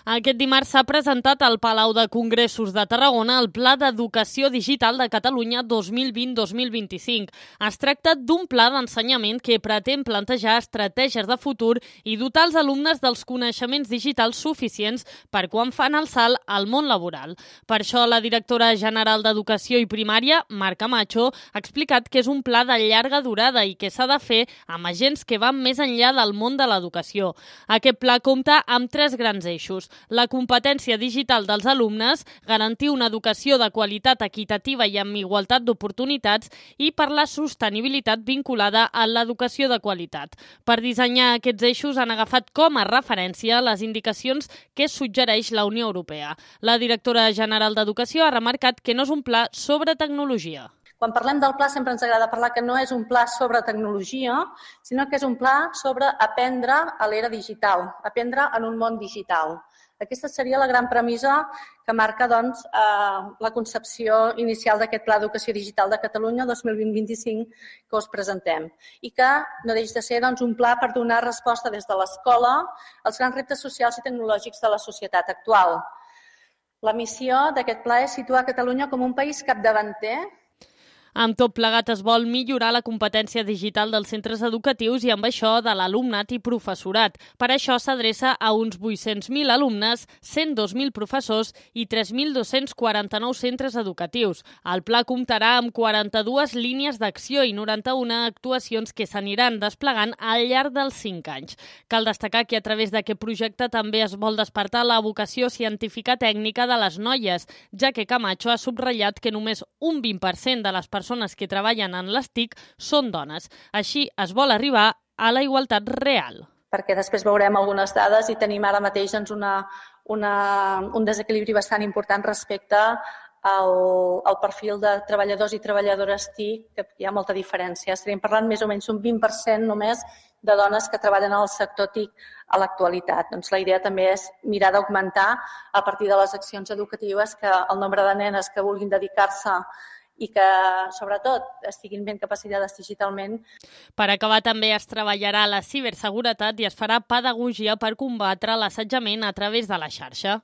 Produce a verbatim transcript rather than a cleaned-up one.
Aquest dimarts s'ha presentat al Palau de Congressos de Tarragona el Pla d'Educació Digital de Catalunya dos mil vint dos mil vint-i-cinc. Es tracta d'un pla d'ensenyament que pretén plantejar estratègies de futur i dotar els alumnes dels coneixements digitals suficients per quan fan el salt al món laboral. Per això, la directora general d'Educació i Primària, Mar Camacho, ha explicat que és un pla de llarga durada i que s'ha de fer amb agents que van més enllà del món de l'educació. Aquest pla compta amb tres grans eixos: la competència digital dels alumnes, garantir una educació de qualitat equitativa i amb igualtat d'oportunitats i per la sostenibilitat vinculada a l'educació de qualitat. Per dissenyar aquests eixos han agafat com a referència les indicacions que suggereix la Unió Europea. La directora general d'Educació ha remarcat que no és un pla sobre tecnologia. Quan parlem del pla sempre ens agrada parlar que no és un pla sobre tecnologia, sinó que és un pla sobre aprendre a l'era digital, aprendre en un món digital. Aquesta seria la gran premissa que marca doncs, eh, la concepció inicial d'aquest Pla d'Educació Digital de Catalunya dos mil vint vint-i-cinc que us presentem i que no deix de ser doncs, un pla per donar resposta des de l'escola als grans reptes socials i tecnològics de la societat actual. La missió d'aquest pla és situar Catalunya com un país capdavanter. Amb tot plegat es vol millorar la competència digital dels centres educatius i amb això de l'alumnat i professorat. Per això s'adreça a uns vuit-cents mil alumnes, cent dos mil professors i tres mil dos-cents quaranta-nou centres educatius. El pla comptarà amb quaranta-dues línies d'acció i noranta-una actuacions que s'aniran desplegant al llarg dels cinc anys. Cal destacar que a través d'aquest projecte també es vol despertar la vocació científica tècnica de les noies, ja que Camacho ha subratllat que només un vint per cent de les persones persones que treballen en les T I C són dones. Així es vol arribar a la igualtat real. Perquè després veurem algunes dades i tenim ara mateix doncs, una, una, un desequilibri bastant important respecte al, al perfil de treballadors i treballadores T I C, que hi ha molta diferència. Estaríem parlant més o menys un vint per cent només de dones que treballen al sector T I C a l'actualitat. Doncs la idea també és mirar d'augmentar a partir de les accions educatives que el nombre de nenes que vulguin dedicar-se i que, sobretot, estiguin ben capacitades digitalment. Per acabar, també es treballarà la ciberseguretat i es farà pedagogia per combatre l'assetjament a través de la xarxa.